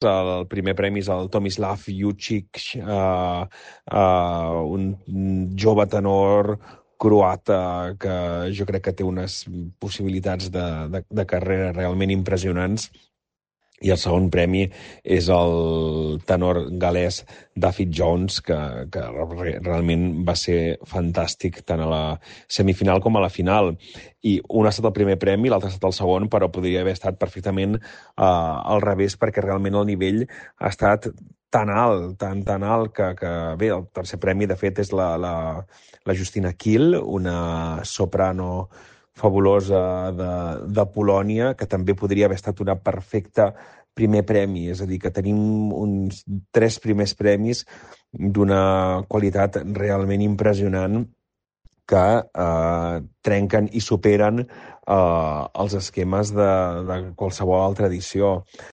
El primer premi és el Tomislav Jucic, un jove tenor croata que jo crec que té unes possibilitats de carrera realment impressionants. I el segon premi és el tenor galès David Jones, que realment va ser fantàstic tant a la semifinal com a la final. I un ha estat el primer premi, l'altre ha estat el segon, però podria haver estat perfectament al revés, perquè realment el nivell ha estat tan alt, tan alt, que bé, el tercer premi, de fet, és la Justina Kiel, una soprano fabulosa de Polònia, que també podria haver estat una perfecta primer premi, és a dir, que tenim uns 3 primers premis d'una qualitat realment impressionant que trenquen i superen els esquemes de qualsevol altra edició.